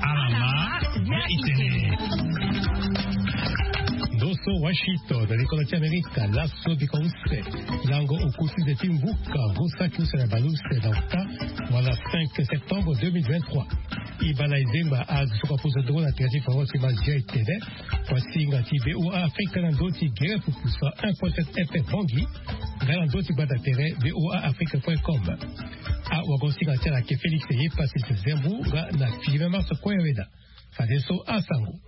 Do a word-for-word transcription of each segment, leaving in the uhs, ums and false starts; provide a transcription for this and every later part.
Alama ya itene. Ndo so Washington na likolo ti Amerika, laso bika use lango oku ti nze ti mbuka ngu saki use na baleuse na ota, wala cinq septembre deux mille vingt-trois. E baa na e zengba azo so ka pusu ndongo na tere ti faransi ti mazia e tene, kuasinga ti VOA Afrika na ndö ti gere pupusa un point sept FM Bangui, nga na ndö ti gbata tere VOA Afrique point com. Awagosinga ti ala ayeke Félix Ye Pacifique Zembu nga na Philippe Marceau Koyaweda. Fadeso asango.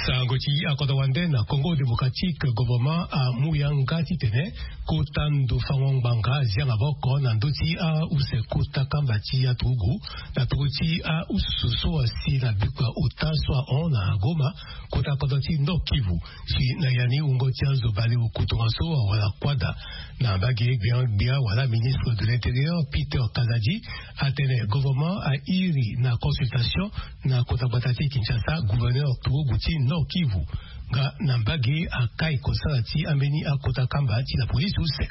Sango ti akodro wande na Congo Démocratique, gouvernement amu yanga titene kota ndo fango ngbanga azia maboko na ndö ti ause kota kamba ti aturugu na peko ti ausu so asi na bikua ota so ahon na Goma, kota kodro ti Nord Kivu. Si na ya ni wungo ti azo baleoku tongaso awara kuâ daa. Na mbage gbia gbia wala ministre de l'intérieur Peter Kazadi atene gouvernement airi na consultation na kota gbata ti Kinshasa, gouverneur turugu ti Nord Kivu, nga na mbage akai kosala ti ambeni akota kamba ti la police use.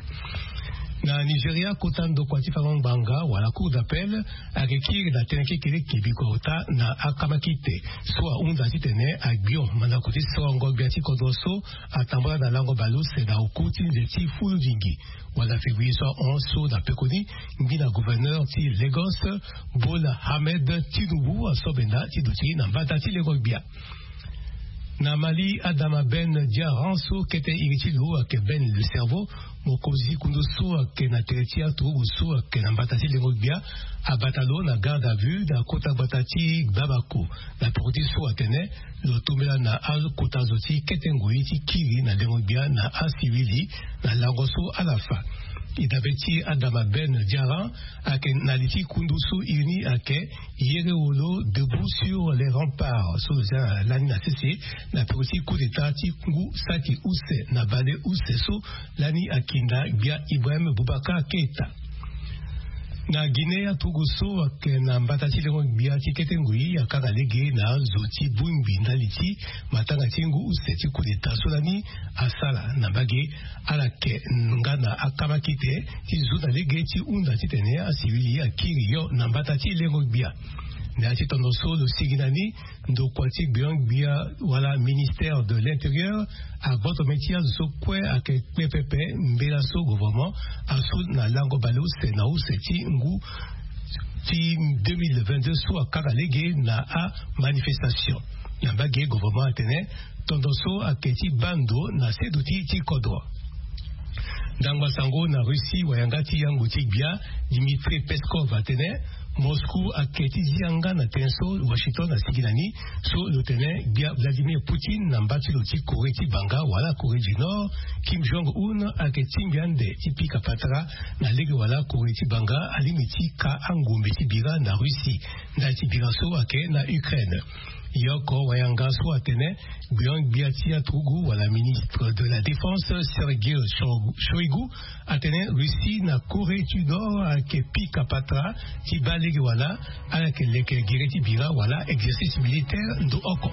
Na Nigeria, kota ndokua ti fango ngbanga wala cour d'appel ayeke kiri na tënë kekereke bikua ota na akamakite so ahunda titene agbio mandako ti sorongo gbia ti kodro so atambula na lango baleuse na oku ti nze ti fuludingi wala février so ahon so na pekoni. Ngbina gouverneur ti Lagos, Bola Ahmed Tinubu, aso benda ti duti na mbata ti lengo gbia. Na Mali, Adama Ben Diarra so kete iri ti lo ayeke Ben le Cerveau, mokonzi kundu so ayeke na tere ti aturugu so ayeke na mbata ti lengo gbia, abata lo na garde à vue na kota gbata ti Bamako, na peko ti so atene lo tombela na akota zo ti kete ngoi ti kiri na lengo gbia na asivili na lango so ala fa. E dabe ti Adama Ben Diarra ayeke na li ti kundu so iri ni ayeke Yere Wolo, Debout sur les Remparts, so lo zia lani na sese na peko ti coup d'état ti ngu saki use na baleuse so lani akinda gbia Ibrahim Boubacar Keita. Na Guinée, aturugu so ayeke na mbata ti lengo gbia ti kete ngoi akanga lege na azo ti bongbi ndali ti matanga ti ngu use ti coup d'état so lani asala na mbage. Ala yeke nga na akamakite ti zo na lege ti hunda titene asivili akiri yo na mbata ti lengo gbia. Na ya ti tondo so lo sigi na ni, ndokua ti gbia gbia wala ministère de l'intérieur agboto mê ti azo so kue ayeke kpe pepe mbela so gouvernement asu na lango baleuse na use ti ngu ti deux mille vingt-deux so akanga lege na amanifestation. Na mbage gouvernement atene tondo so ayeke ti baa ndo na seduti ti kodro. Ndangba sango na Russie, wayanga ti yango ti gbia Dmitri Peskov atene Moscou ayeke ti zi yanga na tënë so Washington asigi na ni, so lo tene gbia Vladimir Poutine na mba ti lo ti Corée ti banga wala Corée du Nord, Kim Jong Un, ayeke tingbi ande ti pika patara na lege wala Corée ti banga alingbi ti ka angombe ti bira na Russie ndali ti bira so ayeke na Ukraine. Yoko wayanga so atene gbia-gbia ti aturugu wala ministre de la défense Sergei Shoigu atene Russie na Corée du Nord ayeke pika patara ti baa lege wala ala yeke leke gere ti bira wala exercice militaire ndo oko.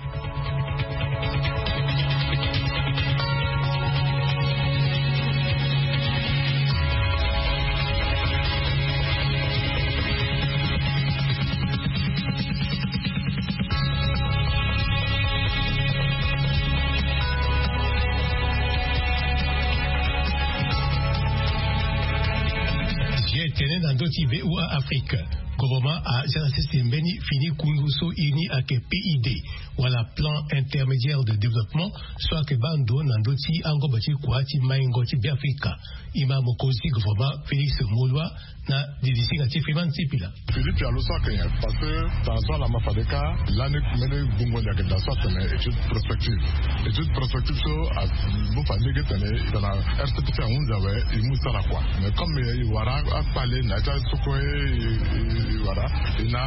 Tene na ndö ti VOA Afrique, gouvernement azia na sese mbeni fini kundu so e ni ayeke P I D, wala plan intermédiaire de développement, so ayeke baa ndo na ndö ti angombo ti kua ti maingo ti Beafrika. E ma mokonzi gouvernement Félix Moloua na didisinga ti Freeman Sipila. Philippe, ya lo so ayeke nyen? Parce que tara so ala ma fade kâ lani mbeni gbungo ni ayeke daa so atene étude prospective. Étude prospective so amu fa lege tene tara R C P C ahunzi awe, e mu sara kua. Mais comme e wara akpale na ya ti aso kue e wara, e na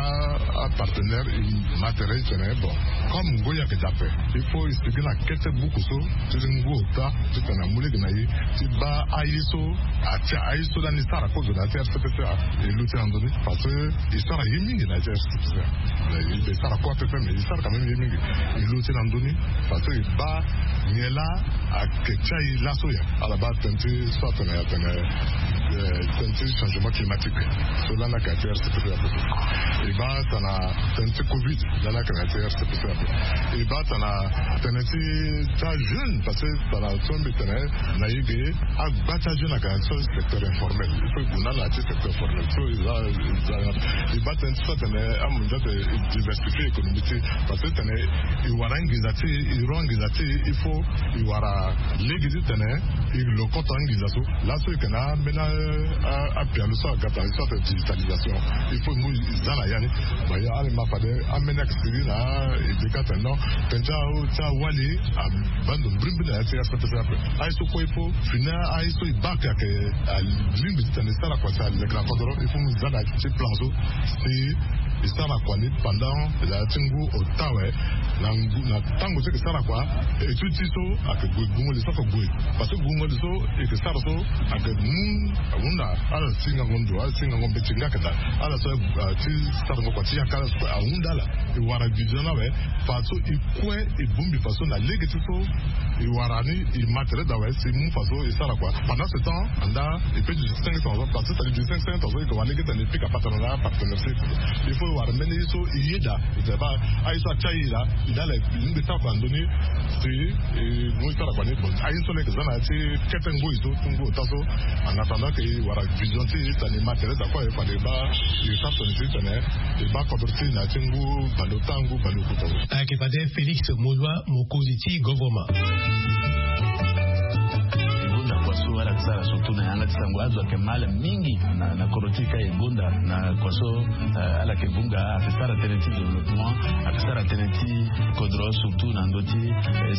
apartenaire, e ma tere e tene bon, comme ngoi ayeke daa ape, il faut e sigi na kete buku so ti ngu ota titene amu lege na e ti baa aye so atia aye so lani e sara kozo na ya ti R C P C A. E luti na ndoni parce que e sara ye mingi na ya ti R C P C A. E sara kua pepe mais e sara quand même ye mingi. E luti na ndoni parce que e baa nyen laa ayeke ti aye laso ya. Ala baa tënë ti so atene atene Tënë ti changement climatique, so lani ayeke na ya ti rcpc ape. E baa tana tënë ti covid, lani ayeke na ya ti rcpc ape. E baa tana tënë ti ti ajeune, parce que tana so mbi tene na ye ge, agba ti ajeune ayeke na ya ti so secteur informel. Il faut e gue na ala na ya ti secteur formel so e za e za. E baa tënë ti so atene amondia atene e diversifie économie ti e, parce que tene e wara anginza ti e, e ro anginza ti e, il faut e wara lege ti tene e lokoto anginza so. Laso e yeke na ambeni apialo so aga tara ye so atene digitalisation. Il faut e mu e za na ya ni. Bon, ya ala ma fade ambeni ayeke sigi na e deka atene non, tënë ti awali abaa ndo mbirimbiri na ya ti rcpc ape. Aye so kue il faut fini aye so e baa ayeke alingbi ti tene e sara kua si aleke na kodoro, il faut mu e za na ya ti plan so si e sara kua ni pendant na ya ti ngu ota awe. Na ngu na tango so e yeke sara kua, étude ti so ayeke gue, gungo li so ayeke gue. Parce que gungo li so e yeke sara so ayeke mu ahunda ala ti ngango ndo, ala ti ngango mbeti nga ayeke daa. Ala so ti sarango kua ti yaka ala so kue ahunda ala. E wara vision ni awe. Faso e kue e bongbi faso na lege ti so e wara ni e ma tere daa awe si e mu faso e sara kua. Pendant ce temps anda e pe du cinq cents ans, parce que tali du cinq cents ans so e yeke wara lege ti tene e pika patara na apartenaire so e yeke. Il faut e wara mbeni ye so e yeda e tene baa aye so atia e laa e dala e lingbi sara kua na ndö ni. Si e mu e sara kua ni bon aye so laa e yeke za na ya ti kete ngoi so ti ngu ota so. En attendant ke e wara vision ti e titene e ma tere daa kue aye fade e baa e sara tene ti tene e baa kodro ti e na ya ti ngu baleota ngu baleokuta. Ayeke fade Félix Molois, mokonzi ti govoroma. E gonda kua so ala yeke sara surtout na yanga ti sango azo ayeke mal mingi na na kodro ti e ka e gonda na kua so. Ala yeke vunga ayeke sara tënë ti développement, ayeke sara tënë ti kodro surtout na ndö ti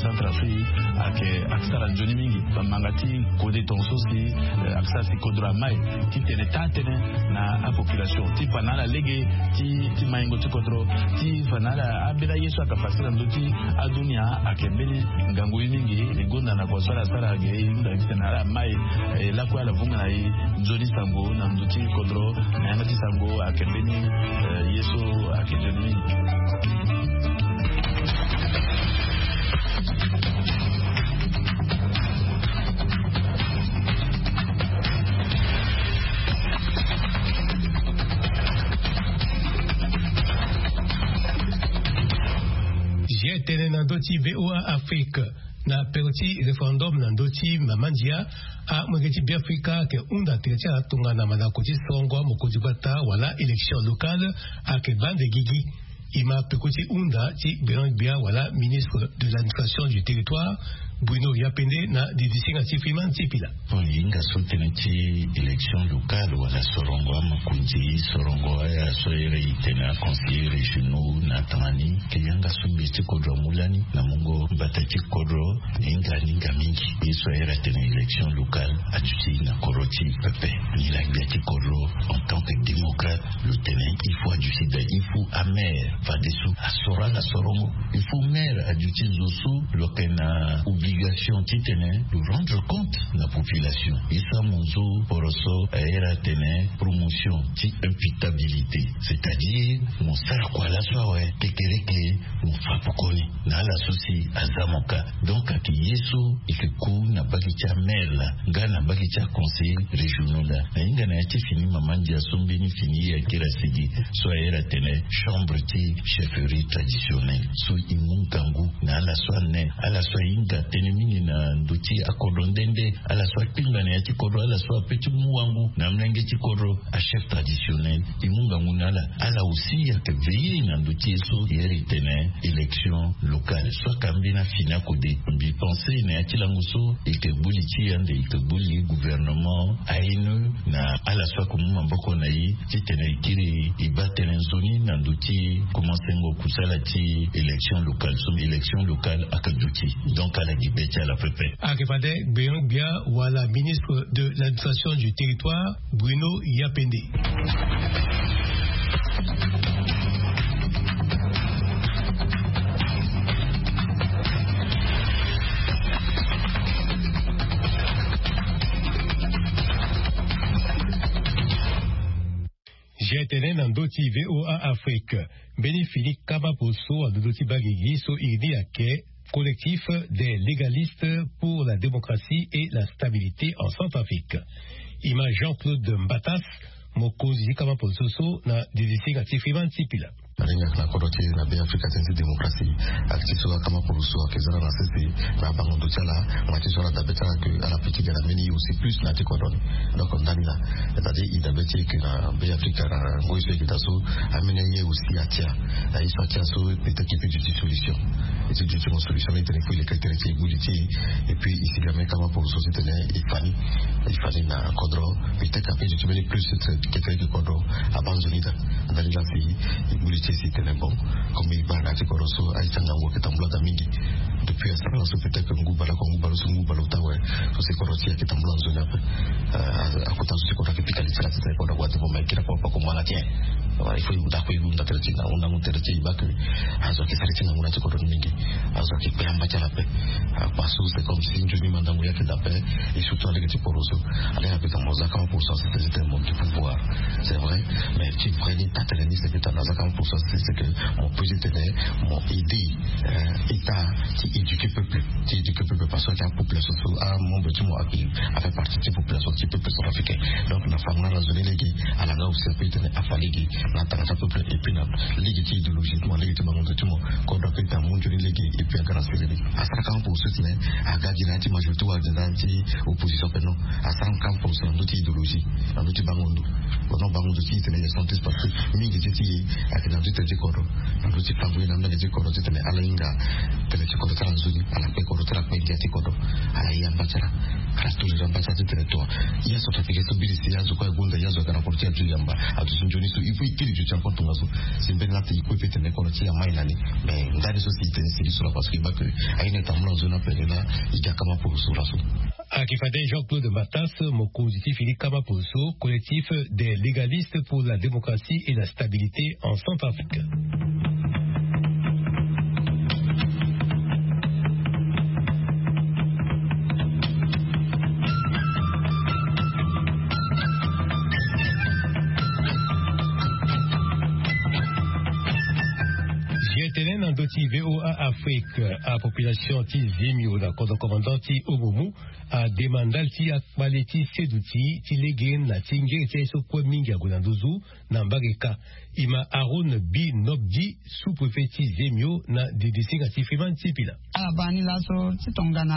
Centrafrique. Ayeke ayeke sara nzoni mingi bamanga ti kode tongaso si ayeke sara si kodro amai ti tene taa tënë na apopulation ti fa na ala lege ti ti maingo ti kodro ti fa na ala ambeni aye so ayeke fasi na ndö ti adunia. Ayeke mbeni ngangu ye mingi e gonda na kua so ala sara ge e hunda ti tene ala mai. E lakue ala vunga na e nzoni sango na ndö ti kodro na yanga ti sango ayeke mbeni ye so ayeke nzoni mingi. Zia tënë na ndö ti VOA Afrique. Na peko ti référendum na ndö ti mama ndia, amolenge ti Beafrika ayeke hunda tene ti ala tongana mandako ti sorongo amokonzi gbata wala élection locale ayeke baa nde gigi. E ma peko ti hunda ti gbenegbia wala ministre de l'administration du territoire, Bruno Yapende, na didisinga ti Freeman Sipila. Bon, e hinga so tënë ti élection locale wala sorongo amokonzi, sorongo aya so ere e tene aconseillers régionaux na tanga ni, ke yanga so mbi ti kodro amu lani na mungo mbata ti kodro. E hinga ni hinga mingi. Ye so ayere atene élection locale aduti na kodro ti e pepe. Nilaa gbia ti kodro en tant que démocrate lo tene il faut aduti daa, il faut amaire fadeso asoro ala sorongo. Il faut maire aduti zo so lo yeke na obligation titene lo rendre compte na population. Ye so amu nzo poroso ayere atene promotion ti imputabilité, c'est-à-dire mo sara kua laso awe kekereke mo fa pekoni na ala so si aza mo ka. Donc ayeke ye so e yeke ku na mbage ti amaire laa nga na mbage ti aconseillers régionaux laa. Na hinga na ya ti fini mama ndia so mbeni fini e akiri asigi so ayere atene chambre ti chefferie traditionnelle so e mu ngangu na ala so ane, ala so ahinga tënë mingi na ndö ti akodro nde nde, ala so akpinga na ya ti kodro, ala so ape ti mu wangu na amolenge ti kodro, achef traditionnel. E mu ngangu na ala. Ala aussi ayeke veiller na ndö ti ye so e iri tene élection locale so ayeke ambeni afini akode. Mbi pense na ya ti lango so e yeke gbu li ti e ande e yeke gbu li gouvernement, ainu na ala so ayeke mu maboko na e titene e kiri e baa tënë nzoni na ndö ti komansengo kusala ti élection locale so élection locale ayeke duti. Donc ala gi be ti ala pepe. Ayeke fade gbeon gbia wala ministre de l'administration du territoire, Bruno Yapende. G T N na ndö ti V O A Afrique. Mbeni fini kama poso na ndö ti bangigi so iri ni ayeke Collectif des légalistes pour la démocratie et la stabilité en Centrafrique. Ima jean claude mbatas, mokonzi ti kama poloso so na didisinga ti fima ti pila. Na lingaka na kodro ti na be afrika ti nzi démocratie. Akiti so akama poloso ake zara na sese na abango ndo ti ala. Ngba ti so ala dabe ti ala ke ala piki ga na mbeni ye aussi plus na ti kodro ni. Donc ndani na c'est-à-dire i dabe ti eke na be afrika na ngoi so eke daa so amene ye aussi atia. Na ye so atia so peut-être ke peut duti solution. E ti duti mo solution ni tene fo i leke tene ti e gbu li ti e. Et puis i si ga me kama poloso ti tene e fani e fani na kodro. Peut-être ape duti mbeni plus ti tene ke tene ke kodro aba nzoni daa. Ndani laa si e gbu li ti e si tene bon, comme e baa na ya ti kodro so aye ti angangu ake tambula daa mingi. Depuis asara laso peut-être ngu baleoko ngu baleoso ngu baleota awe. So si kodro ti e ake tambula nzoni ape. Akota so si kodro ake pika li ti ala ti tene kodro ague ade mo ma e kiri akua pako mo ala ti e. Il faut e hunda kue e hunda tere ti e na hundangu tere ti e e baa ke azo ake sara ti ngangu na ya ti kodro ni mingi. Azo ake kpe amba ti ala ape. Akpa so c'est comme si nzoni mandangu ye ake daa ape. E surtout alege ti poroso. Alege ape tene mo za kama poroso asete ti tene mo du pouvoir. C'est vrai. Mais ti vrai ni taa tene ni c'est que tana za kama poroso asete c'est que mo peut ti tene mo aider état ti éduquer peuple ti éduquer peuple parce que ake apopulation so amembre ti mo ake afaire partie ti population ti peuple centrafricain. Donc na fanga na zo ni lege ala nga aussi ape ti tene afa lege na tanga ti apeuple et puis na lege ti idéologie ti mo lege ti bango ndo ti mo. Kodro ape ti amu nzoni lege et puis aga na siriri asara kama poroso ti tene aga gi na ya ti majorité wala gi na ya ti opposition ape non. Asara kama poroso na ndö ti idéologie na ndö ti bango ndo. Kono bango ndo ti e tene ye centriste parce que mingi ti ti e ake na ndö ti tene ti kodro na ndö ti fango ye na mbenge ti kodro ti tene ala hinga tene ti kodro ti ala nzoni. Ala kpe kodro ti ala kpe ndia ti kodro. Ala ye amba ti ala ala toujours amba ti ala ti tene toa. Ya so ta peke so mbiri si ya zo kue agonda ya zo aga na kodro ti ala ti yamba. Aduti nzoni so il faut e kiri duti encore tongaso. Si mbeni laa ti e kue pe tene kodro ti e amai na ni. Mais ndani so si e tene siri so laa parce que e baa ke aye na e tambula nzoni ape ni laa e ga kama poroso laso. Ayeke fade jean claude mbatas mokonzi ti fini kama poroso collectif des légalistes pour la démocratie et la stabilité en centrafrique. Zi tene na ndö ti voa afrique. Apopulation ti zimio na kodro commandant ti omomu ademande ala ti akpale ti seduti ti lege na ti ngere ti aye so kue mingi ague na nduzu. Na mbage ka e ma aaron bi nobdi sous-préfet ti zemio na didisinga ti freeman ti pila. Ala baa ni laso ti tongana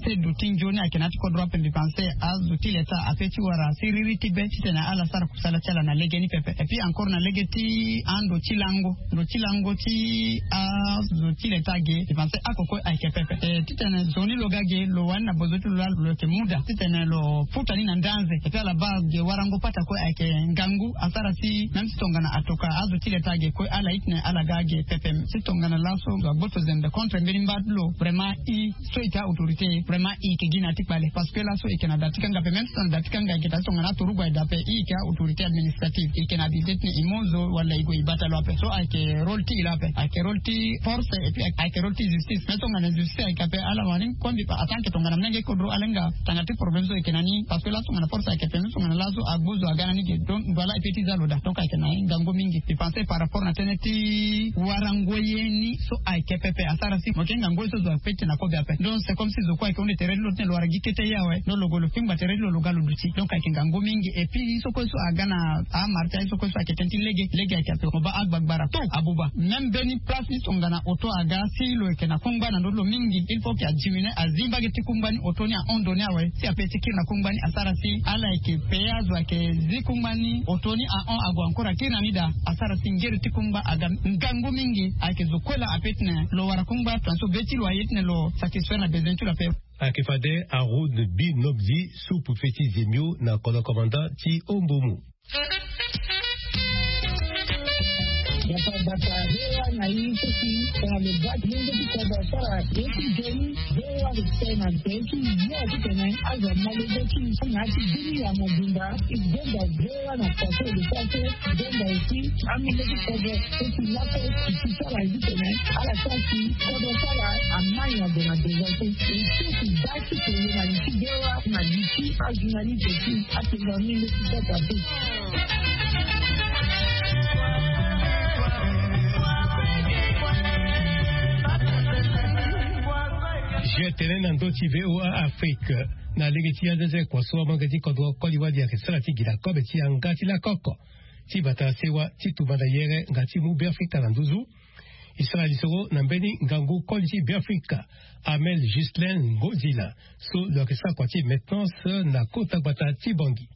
seduti nzoni ayeke na ya ti kodro ape mbi pense azo ti leta ape ti wara siriri ti be titene ala sara kusala ti ala na lege ni pepe et puis encore na lege ti ando ti lango ndo ti lango ti azo ti leta ge mbi pense ako kue ayeke pepe. Titene zo ni lo ga ge lo wani na bozo ti lo laa lo yeke mu daa titene lo futa ni na ndanze et puis ala baa ge warango pata kue ayeke ngangu asara si même si tongana atoka azo ti leta ge kue ala itene ala ga ge pepe. Si tongana laso zo agboto zembe contre mbeni mba ti lo vraiment i so eke a autorité vraiment i eke gi na ya ti kpale parce que laso eke na da ti kanga pe même si tongana da ti kanga eke daa si tongana aturugu aye daa pe i eke a autorité administrative eke na abilité titene i mu zo wala i gue i bata lo ape so ayeke rôle ti i lo ape ayeke rôle ti force et puis ayeke rôle ti justice mais tongana justice ayeke ape ala wani kue mbi pa atanke tongana mlenge kodro ala hinga tanga ti problème so eke na ni parce que laso tongana force ayeke pe mais tongana laso agbu zo aga na ni ge donc voilà e pe ti za lo daa donc ayeke na ngangu mingi mbi pense par rapport na tënë ti warango ye ni so ayeke pepe asara si mo yeke ngangu ye so zo ape ti na kobe ape donc c'est comme si zo kue ayeke hunda tere ti lo titene lo wara gi kete ye awe. Donc lo gue lo fingba tere ti lo lo ga lo duti donc ayeke ngangu mingi et puis ye so kue so aga na amara ti aye so kue so ayeke tënë ti lege lege ayeke ape mo baa agbagbara to abuba même mbeni place ni tongana oto aga si lo yeke na kungba na ndö ti lo mingi il faut ke adiminue azi mbage ti kungba ni oto ni ahon ndo ni awe si ape ti kiri na kungba ni asara si ala yeke pe azo ayeke zi kungba ni oto ni ahon ague encore akiri na ni daa asara si ngere ti kungba aga ngangu mingi ayeke zo kue laa ape titene lo wara kungba tongana so be ti lo aye titene lo satisfaire na besoin ti lo ape. Ayeke fade haroun bi nobdi sous-préfet ti zemio na kodro commandant ti ombomu. Bata bata hewa na ye so si tongana lo baa ti lenge ti kodro asara ye ti nzoni. Hewa lo tene na nze ti yo titene azo ama lege ti na ya ti bini ya mobimba. E gbenda hewa na faso lo sara so gbenda aussi amolenge ti kodro so si laso e si sara ye titene ala sara si kodro sara amai na zo na deza so e so si baa ti koye na li ti hewa na li ti ajournaliste ti atenga amolenge ti kodro ape. Jeu tene na ndö ti voa afrique. Na lege ti anzenze kua so amolenge ti kodro koli wali ayeke sara ti gi na kobe ti yanga ti lakoko ti bata sewa ti tumba na yere nga ti mu Beafrika na nduzu. E sara lisoro na mbeni ngangu koli ti Beafrika, Armel Ghislain Ngozila, so lo yeke sara kua ti maintenance na kota gbata ti Bangui.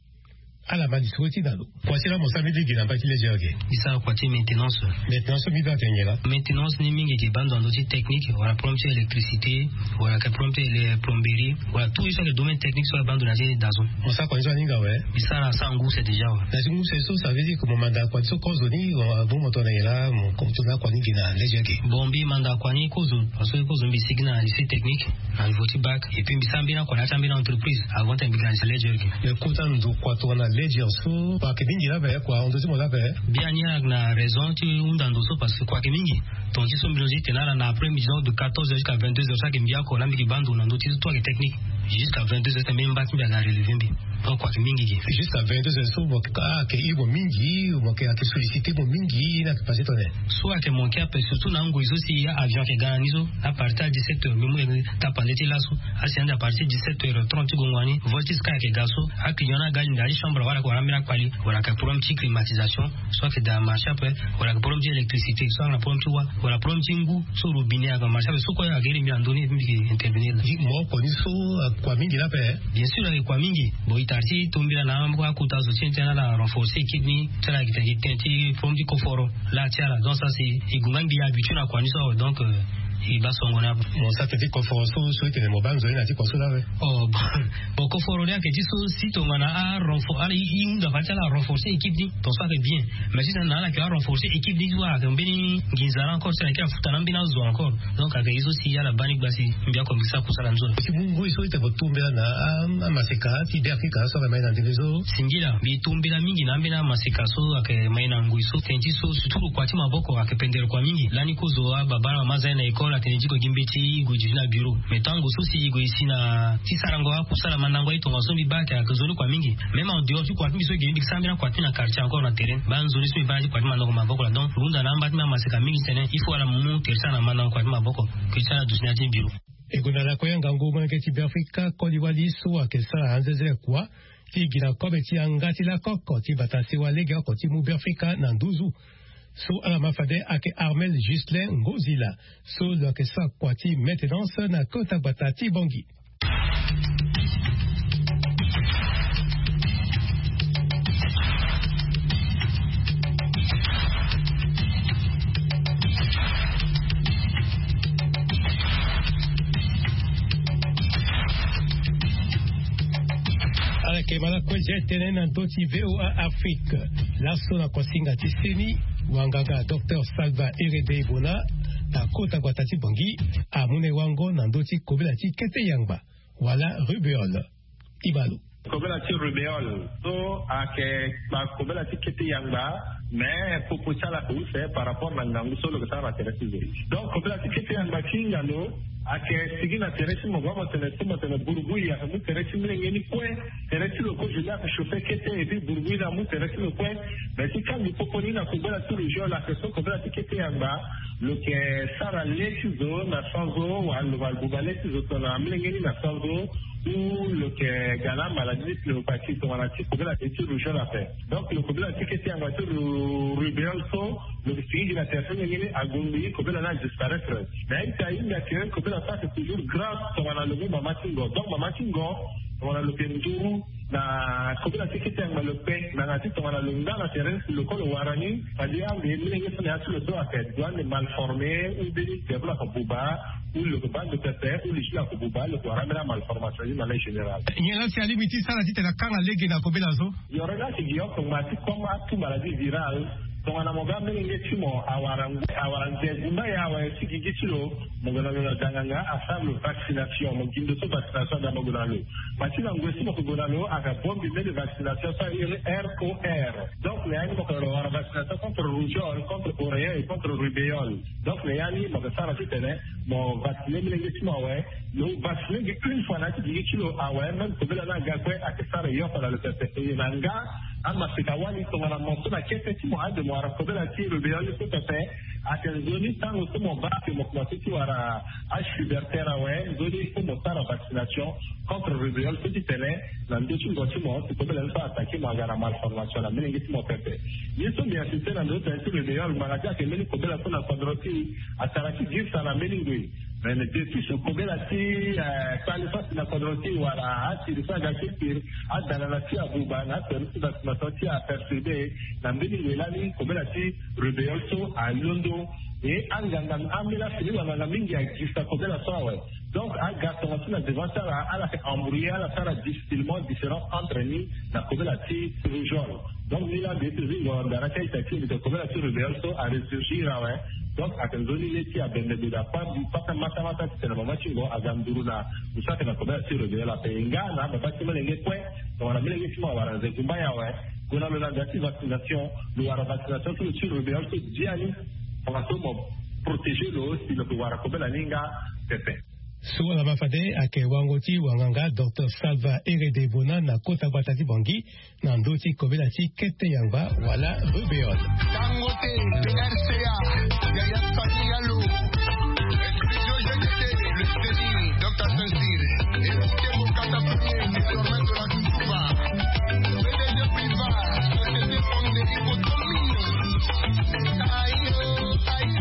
Ala ma lisoro ti na lo. Kua ti la mo sara mbeni gi na mbai ti leger ge? E sara kua ti maintenance. Maintenance so mbeni ayeke nyen laa? Maintenance ni mingi gi bando na ndö ti technique wala problème ti électricité, wala ayeke problème ti ele- plomberie, wala tout ye so ayeke domaine technique so ayeke bando na ya ti dazo. Mo sara kua ni so aninga awe? E sara asara ngu use déjà awe. Na ya ti ngu use so ça veut dire que mo manda kua ni so kozo ni, wala mo tongana nyen laa mo tongana kua ni gi na leger ge? Bon, mbi manda kua ni kozo, parce que kozo mbi sigi na lycée technique na niveau ti bac, et puis mbi sara mbeni akua na ya ti ambeni entreprise avant ti mbi gi na leger ge. Mais kota ndo kua tongana leger so kua ayeke mingi laa ape, kua ahon ndo ti mo laa ape. Biani ayeke na raison ti hunda ndo so parce que kua ayeke mingi. Ton ti so mbi lozi tene ala na après midi donc de quatorze heures jusqu'à vingt-deux heures so ayeke mbi oko laa mbi yeke baa ndo na ndö ti so tout ayeke technique. Jusqu'à vingt-deux heures tene mbi mba ti mbi aga relever mbi. Donc kua ayeke mingi gi. Jusqu'à vingt-deux heures so mo yeke ah ayeke hir mo mingi, mo yeke ayeke solliciter mo mingi, ni ayeke passé tongana nyen? So ayeke manqué ape surtout na angoi so si avion ayeke ga na ni so, à partir ya dix-sept heures mbi mu tapande ti laso. Asi ande à partir dix-sept heures trente ti gongo ni vol ti sky ayeke ga so, aclient ni aga ali na ya ti chambre wala ayeke wara ambeni akpali, wala ayeke problème ti climatisation so ayeke daa marché ape, wala ayeke problème ti électricité so ayeke na problème ti wa, wala problème ti ngu so robinet ayeke marché ape, so kue ayeke iri mbi na ndö ni mbi yeke intervenir laa. Mo oko ni so akua mingi laa ape? Bien sûr ayeke kua mingi. Bon e tara ti tombela na akota zo ti e ti ala renforcer équipe ni ti ala ayeke tene ti problème ti koforo. Laa ti ala donc ça c'est e gue nga mbi habitué na kua ni so awe donc e baa songo ni ape. Mo sara tene ti koforo so so e tene mo baa nzoni na ya ti kua so laa awe? Oh bon. Bon koforo ni ayeke ti so si tongana arenfor ala e hunda fade ti ala renforcer équipe ni ton so ayeke bien. Mais si tongana ala yeke arenforcer équipe ni so ayeke mbeni nginza laa encore si ala yeke afuta na ambeni azo encore. Donc ayeke ye so si ala baa ni gba si mbi oko mbi sara kusala ni so laa. Si mu ngoi so e tene mo tombela na amaseka ti Beafrika so ayeke mai na ndenge so? Singila mbi tombela mingi na ambeni amaseka so ayeke mai na ngoi so tene ti so surtout lo kua ti maboko ayeke pendere kua mingi lani kozo ababa na mama aza ye na école atene ti gue gi mbeti gue duti na bureau. Mais tango so si gue si na ti sarango akusala mandango aye tongaso mbi baa ayeke ayeke nzoni kua mingi. Même en dehors ti kua ti mbi so gue mbi sara mbeni akua ti mbi na quartier encore na terrain baa nzoni so mbi baa na ti kua ti mandango maboko laa donc lo hunda na amba ti mbi amaseka mingi titene il faut ala mu tere ti ala na mandango kua ti maboko. Ke ti ala duti na ya ti bureau. E gue na lakue ngangu molenge ti Beafrika koli wali so ayeke sara anzenzele kua ti gi na kobe ti yanga ti lakoko ti bata sewa lege oko ti mu Beafrika na nduzu. So ala ma fade ayeke Armel Ghislain Ngozila so lo yeke sara kua ti maintenance na kota gbata ti Bangui. Ala yeke ma lakue zia tënë na ndö ti VOA Afrique. Laso na kuasinga ti seni wanganga docteur Salva Herede Ebona na kota gbata ti Bangui amu na e wango na ndö ti kobela ti kete yangba wala rubéole. Ibalo. Kobela ti rubéole so ayeke kobela ti kete yangba. Mais popo ti ala ayeke use par rapport na ngangu so lo yeke sara na tere ti zo. Donc kobela ti kete yangba ti hinga lo ayeke sigi na tere ti mo baa mo tene so mo tene burubui ayeke mu tere ti molenge ni kue. Tere ti lo kozo ni ayeke chauffer kete et puis burubui ni amu tere ti lo kue. Mais ti kangbi popo ni na kobela ti rubéole ayeke so kobela ti kete yangba lo yeke sara le ti zo na sanzo wala lo baa lo buba le ti zo tongana molenge ni na sanzo. Ou lo yeke ga na maladie ti pneumopathie tongana ti kobela ti rubéole ape. Donc lo kobela ti kete yangba ti rubéole so lo yeke sigi gi na tere so nyen ni agongbi kobela ni adisparaître. Mais aita ahinga ke kobela so ayeke toujours grave tongana lo mu mama ti ngo donc mama ti ngo tongana lo yeke nduru na kobela ti kete yangba lo kpe nanga ti tongana lo nga na tere ti lo kue lo wara ni. Fade ande molenge so na ya ti lo so ayeke doit ande mal formé ou mbeni diable ayeke buba ou lo yeke baa ndo pepe ou li ti lo ayeke buba lo yeke wara ambeni amalformation ni na lege général. Nyen laa si alingbi ti sara titene akanga lege na kobela so? Yoro ni ayeke gi oko ngba ti comme atout maladie virale. Tongana mo baa molenge ti mo awara ngue awara nze gumba ye awe ti gigi ti lo. Mo gue na lo na danganga asara lo vaccination mo gi ndo so vaccination ada mo gue na lo. Ma ti na ngue so mo ke gue na lo ayeke bongbi mbeni vaccination so airi R O R. Donc na ya ni mo ke lo wara vaccination contre rougeole contre oreillon et contre rubéole. Donc na ya ni mo ke sara titene mo vacciner molenge ti mo awe. Lo vacciner gi une fois na ya ti gigi ti lo awe même kobela ni aga kue ayeke sara yoko na lo pepe e na nga. Amaseka wali tongana mo so na kete ti mo ade mo wara kobela ti rubéole so pepe. Ate nzoni tango so mo baa ke mo komanse ti wara achuberter awe, nzoni il faut mo sara vaccination contre rubéole so ti tene na ndö ti ngo ti mo si kobela ni so atake mo aga na malformation na melenge ti mo pepe. Ye so mbi insiste na ndö ti tene ti rubéole mbanga ti ake mbeni kobela so na kodro ti atara ti girisa na mbeni ngoi. Mais depuis so kobela ti kpale so asi na kodro ti wala asiri so aga ti kiri adana na ti abuba na aseri ti vaccination ti aperturbe na mbeni ngoi lani kobela ti rubéole so alondo. E anganga ambeni afini wanganga mingi agirisa kobela so awe. Donc aga tonga ti na devant ti ala ala fait embrouiller ala sara difficilement différence entre ni na kobela ti rougeole. Donc ni la mbi ete zingo ndara ti aita ti mbi te kobela ti rubéole so aressurgir awe. Donc ate nzoni le ti abembe beda pa mbi pata mata mata ti tene mama ti ngo aga nduru na musaka na kobela ti rubéole ape nga na baba ti melenge kue. Donc na melenge ti mo awara nze gumba ya awe. Gue na lo na nda ti vaccination lo wara vaccination ti lo ti rubéole so dia ni. Tongaso mo protéger lo si lo ke wara kobela ni nga pepe. So ala ma fade ayeke wango ti wanganga docteur Salva Herede Bona na kota gbata ti Bangui na ndö ti kobela ti kete yangba wala rubéole. Tango te, P R C A, Yaya Sani Yalo, Exclusion G T T, le Seni, docteur Saint-Cyr, écoutez mon catapultier, désormais de la Touba, P D G Priva, société Pandéry Cotomine. Aïe, aïe.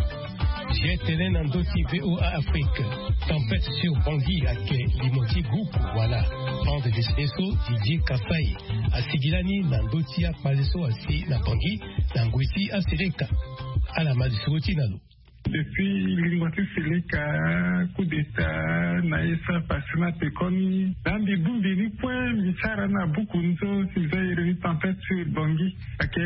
Ye tene na ndö ti V O A Afrique, tempête sur Bangui ayeke limo ti guku wala bande dessinée so Didier Kassai asigi lani na ndö ti akpale so asi na Bangui na ngoi ti aseleka. Ala ma lisoro ti na lo. Depuis lingo ti seleka, coup d'état na ye so apase na pekoni, na mbi bongbi ni kue mbi sara na buku ni so si za iri ni tempête sur Bangui. Ayeke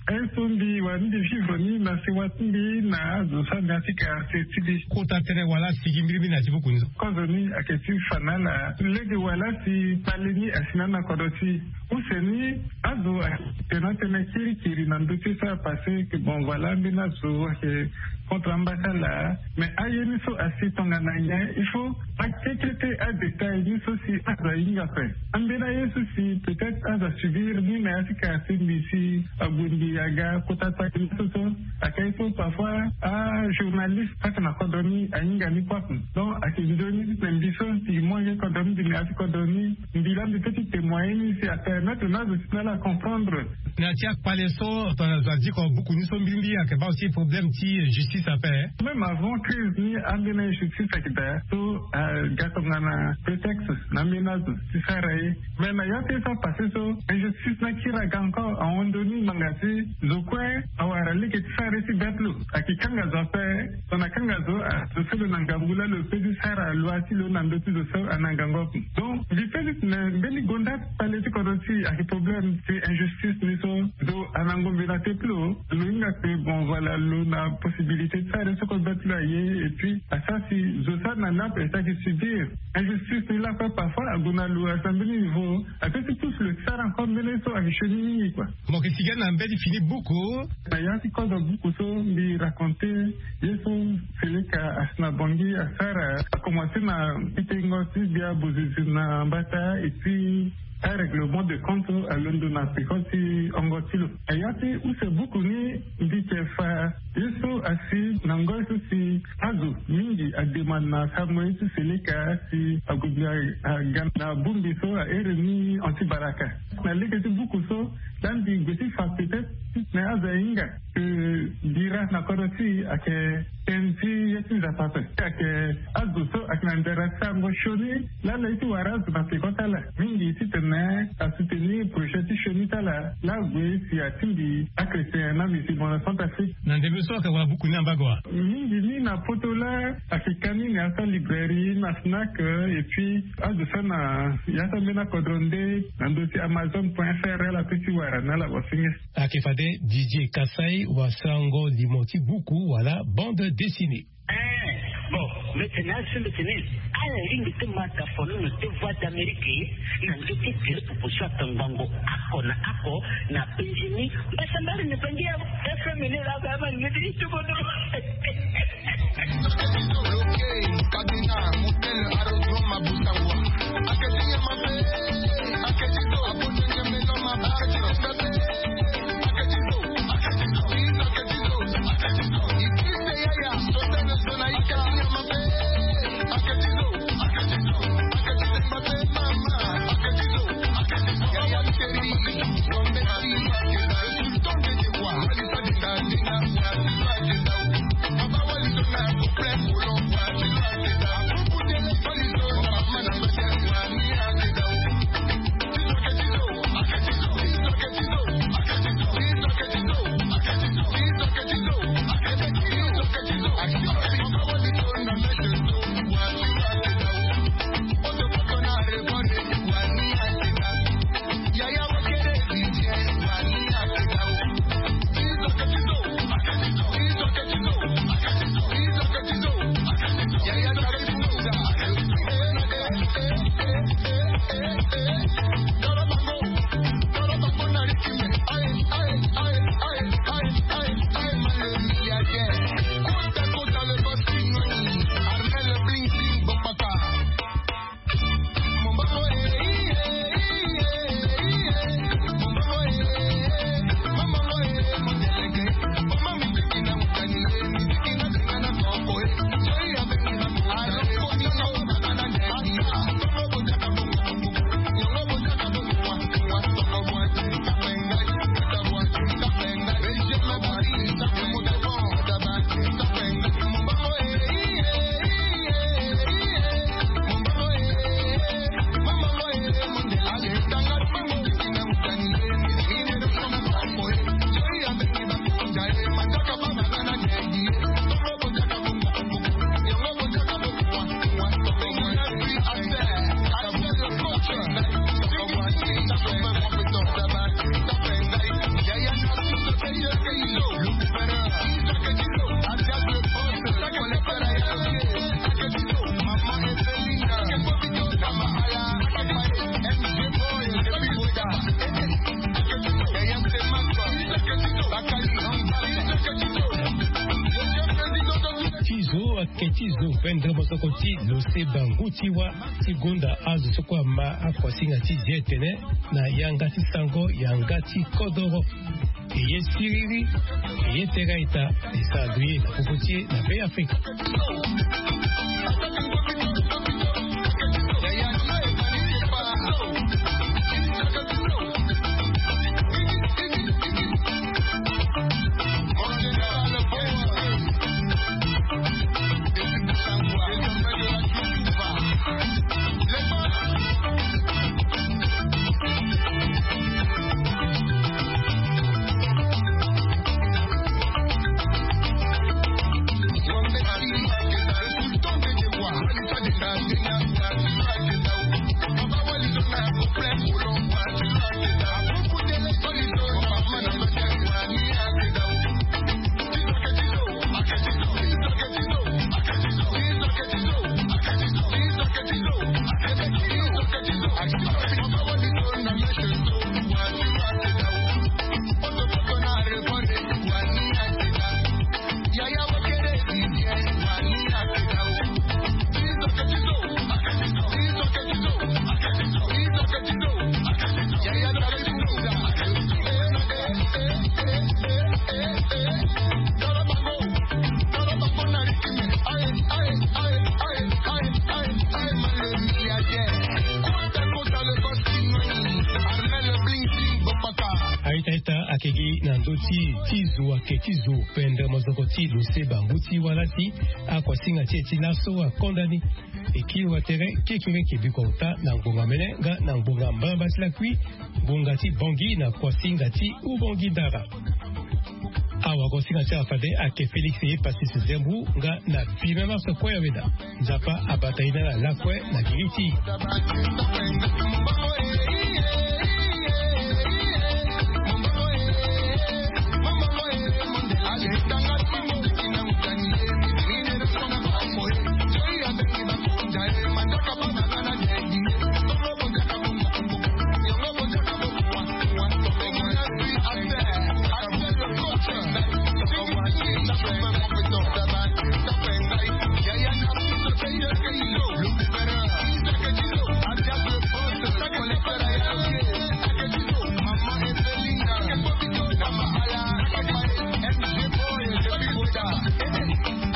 aye so mbi wara ni mbi vivre ni na sewa ti mbi na azo so anga ti kara se ti mbi. Kota tënë wala asigi mbirimbiri na ya ti buku ni so. Kozo ni ayeke ti fa na ala lege wala si kpale ni asi na na kodro ti use ni. Azo ayeke na tënë kirikiri na ndö ti so apase ke bon voilà ambeni azo ayeke contre amba ti ala. Mais aye ni so asi tongana nyen il faut akekete adétail ni so si azo ahinga ape. Ambeni aye so si peut-être azo asubir ni na ya ti kara ti mbi si ague mbi aga kota taki ni so so. Ayeke aye so parfois ajournaliste saki na kodro ni ahinga ni kue ape. Donc ayeke nzoni ti tene mbi so si mo yeke kodro ni mbi na ya ti kodro ni mbi laa mbi peut ti témoigner ni si apermettre na azo ti na ala acomprendre. Na ya ti akpale so tongana zo adiko buku ni so mbirimbiri ayeke baa aussi problème ti justice ape. Même avant crise ni ambeni injustice ayeke daa so aga tongana prétexte na ambeni azo ti sara ye. Mais na ya ti ye so apase so injustice ni akiri aga encore ahon ndoni ngbanga ti zo kue awara lege ti sara ye ti be ti lo. Ayeke kanga zo ape. Tongana kanga zo azo so lo na ngangu laa lo peut ti sara loi ti lo na ndö ti zo so ana ngangu ape. Donc mbi peut ti tene mbeni gonda kpale ti kodro ti ayeke problème ti injustice ni so zo ana ngombe na te ti lo. Lo hinga ke bon voilà lo na possibilité ti sara ye so kue be ti lo aye. Et puis asara si zo so ana ni ape saki subir injustice ni lakue parfois ague na lo asi na mbeni niveau. Ape ti pousse lo ti sara encore mbeni ye so ayeke sioni mingi kua. Mo yeke sigi na mbeni fini buku. Na ya ti kozo buku so mbi raconter ye so seleka asi na Bangui asara akomanse na ti tengo ti gbia bozizi na mbata et puis arèglement de compte alondo na peko ti hongo ti lo. Na ya ti use buku ni mbi yeke fa ye so asi na ngoi so si azo mingi ademande na sango ye ti seleka si ague mbi aga na bongbi so ahere ni anti baraka. Na lege ti buku so laa mbi gue ti fa peut-être ti tene azo ahinga ke bira na kodro ti e ayeke tënë ti ye ti Nzapa ape. Ayeke azo so ayeke na ndara ti sango sioni laa ala ye ti wara azo na peko ti ala mingi ti tene asoutenir projet ti sioni ti ala laa ague si atingbi achrétien na musulman na Centrafrique. Na ndembe so ayeke wara buku ni ambago wa? Mingi ni na poto laa ayeke ka ni na ya so alibrairie na Fnac et puis azo so na ya so ambeni akodro nde na ndö ti Amazon point F R ala peut ti wara na ala wasinge. Ayeke fade Didier Kassai wasango limo ti buku wala bande dessinée. Eh, bon, mbi tene azo so mbi tene ala lingbi ti ma tafono na te Voix d'Amérique na ndö ti gere popo so atangbango ako na ako na Benjini mbasambari na bangi ya F M ni la ba ma ngeti ti tukono. Kabina, Mutele, Arodro, Mabusawa. Aketi nyama pe, aketi to, abote nyama pe, aketi respect pe. Ke ti zo pendere mosoko ti lo se bangu ti wa ti gonda azo so kue ama akuasinga ti zi etene na yanga ti sango yanga ti kodoro. Eye siriri. Eye tere a-ita. Esara ndo ye na popo ti e na be afrika. Aita ita ake gi na ndö ti ti zo ake ti zo pendere mozoko ti lo se bangu ti walasi. Akuasinga ti e ti laso akonda ni. Ekiri watere kekere ke biko ota na ngbonga mene nga na ngbonga mbalamba ti lakui. Ngbonga ti bongi na kuasinga ti ubongi ndara. Awagosinga ti ala fade ake félix ye pasis zembu nga na pime marse kue aweda. Nzapa abata ye na ala lakue na giri ti